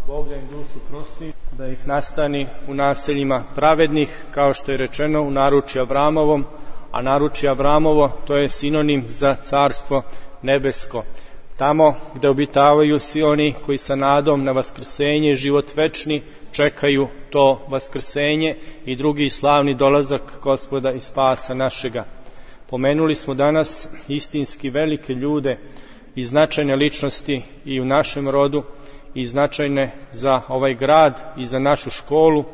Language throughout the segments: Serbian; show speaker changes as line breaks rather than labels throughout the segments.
Bog da im dušu prosti, da ih nastani u naseljima pravednih, kao što je rečeno u naručju Avramovom, a naručje Avramovo to je sinonim za carstvo nebesko. Tamo gde obitavaju svi oni koji sa nadom na vaskrsenje i život večni čekaju to vaskrsenje i drugi slavni dolazak Gospoda i spasa našega. Pomenuli smo danas istinski velike ljude i značajne ličnosti i u našem rodu i značajne za ovaj grad i za našu školu,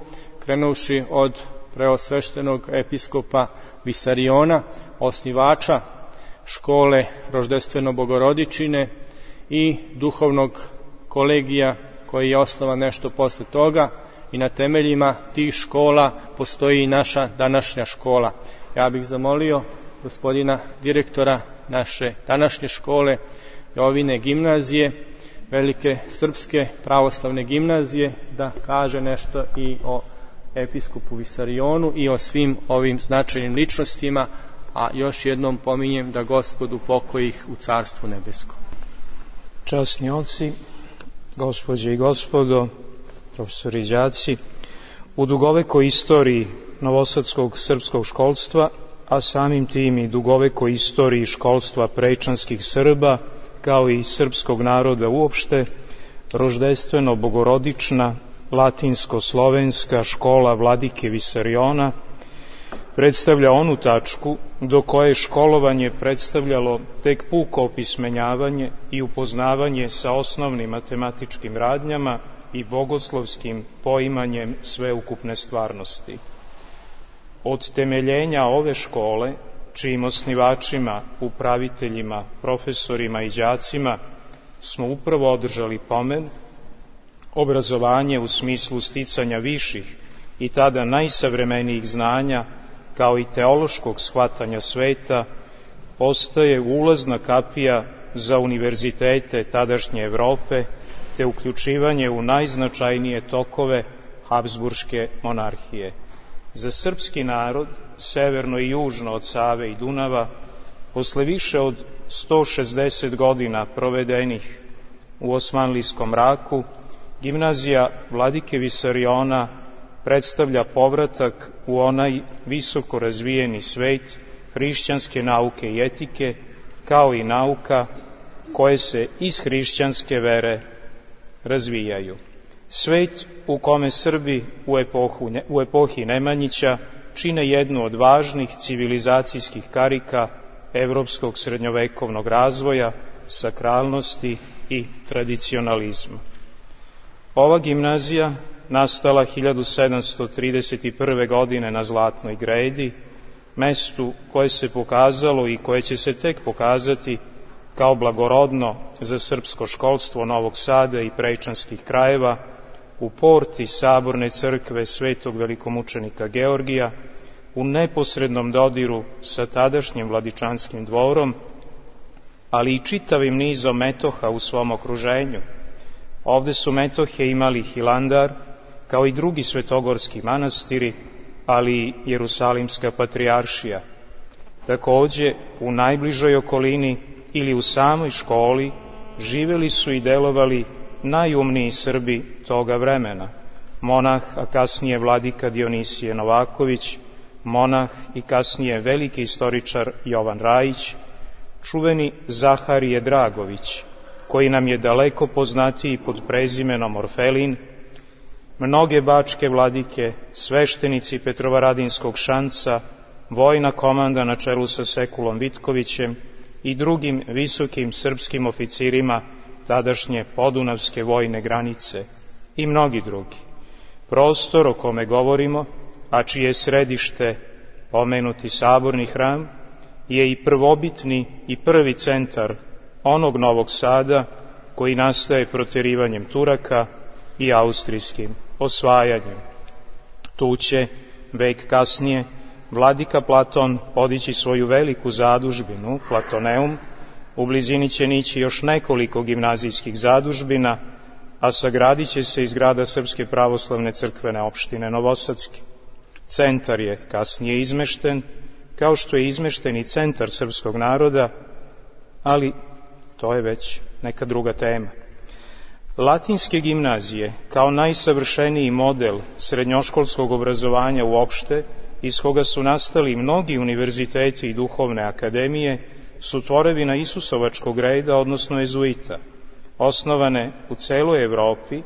krenuvši od preosveštenog episkopa Visariona, osnivača škole Roždestveno-Bogorodičine i duhovnog kolegija koji je osnovan nešto posle toga, i na temeljima tih škola postoji i naša današnja škola. Ja bih zamolio gospodina direktora naše današnje škole, Jovine gimnazije, Velike srpske pravoslavne gimnazije, da kaže nešto i o episkopu Visarionu i o svim ovim značajnim ličnostima, a još jednom pominjem da Gospod upokoji ih u Carstvu nebeskom.
Časni oci, gospođe i gospodo, profesori i đaci, u dugovekoj istoriji novosadskog srpskog školstva, a samim tim i dugovekoj istoriji školstva prečanskih Srba, kao i srpskog naroda uopšte, Roždestveno-Bogorodična latinsko-slovenska škola Vladike Visariona predstavlja onu tačku do koje školovanje predstavljalo tek puko opismenjavanje i upoznavanje sa osnovnim matematičkim radnjama i bogoslovskim poimanjem sveukupne stvarnosti. Od temeljenja ove škole, čijim osnivačima, upraviteljima, profesorima i đacima smo upravo održali pomen, obrazovanje u smislu sticanja viših i tada najsavremenijih znanja, kao i teološkog shvatanja sveta, postaje ulazna kapija za univerzitete tadašnje Evrope, te uključivanje u najznačajnije tokove Habsburške monarhije. Za srpski narod, severno i južno od Save i Dunava, posle više od 160 godina provedenih u osmanlijskom mraku, gimnazija Vladike Visariona predstavlja povratak u onaj visoko razvijeni svet hrišćanske nauke i etike, kao i nauka koje se iz hrišćanske vere razvijaju. Svet u kome Srbi u epohi Nemanjića čine jednu od važnih civilizacijskih karika evropskog srednjovekovnog razvoja, sakralnosti i tradicionalizma. Ova gimnazija, nastala 1731. godine na Zlatnoj gredi, mestu koje se pokazalo i koje će se tek pokazati kao blagorodno za srpsko školstvo Novog Sada i prečanskih krajeva, u porti Saborne crkve Svetog velikomučenika Georgija, u neposrednom dodiru sa tadašnjim Vladičanskim dvorom, ali i čitavim nizom metoha u svom okruženju. Ovde su metohe imali Hilandar, kao i drugi svetogorski manastiri, ali i Jerusalimska patrijaršija. Takođe, u najbližoj okolini ili u samoj školi živeli su i delovali najumniji Srbi toga vremena. Monah, a kasnije vladika Dionisije Novaković, monah i kasnije veliki istoričar Jovan Rajić, čuveni Zaharije Dragović, koji nam je daleko poznatiji pod prezimenom Orfelin, mnoge bačke vladike, sveštenici Petrovaradinskog šanca, vojna komanda na čelu sa Sekulom Vitkovićem i drugim visokim srpskim oficirima tadašnje podunavske vojne granice i mnogi drugi. Prostor o kome govorimo, a čije je središte pomenuti Saborni hram, je i prvobitni i prvi centar onog Novog Sada koji nastaje proterivanjem Turaka i austrijskim osvajanjem. Tu će, vek kasnije, vladika Platon podići svoju veliku zadužbinu, Platoneum, u blizini će nići još nekoliko gimnazijskih zadužbina, a sagradit će se i zgrada Srpske pravoslavne crkvene opštine Novosadske. Centar je kasnije izmešten, kao što je izmešten i centar srpskog naroda, ali to je već neka druga tema. Latinske gimnazije, kao najsavršeniji model srednjoškolskog obrazovanja uopšte, iz koga su nastali mnogi univerziteti i duhovne akademije, su tvorevina Isusovačkog reda, odnosno jezuita, osnovane u celoj Evropi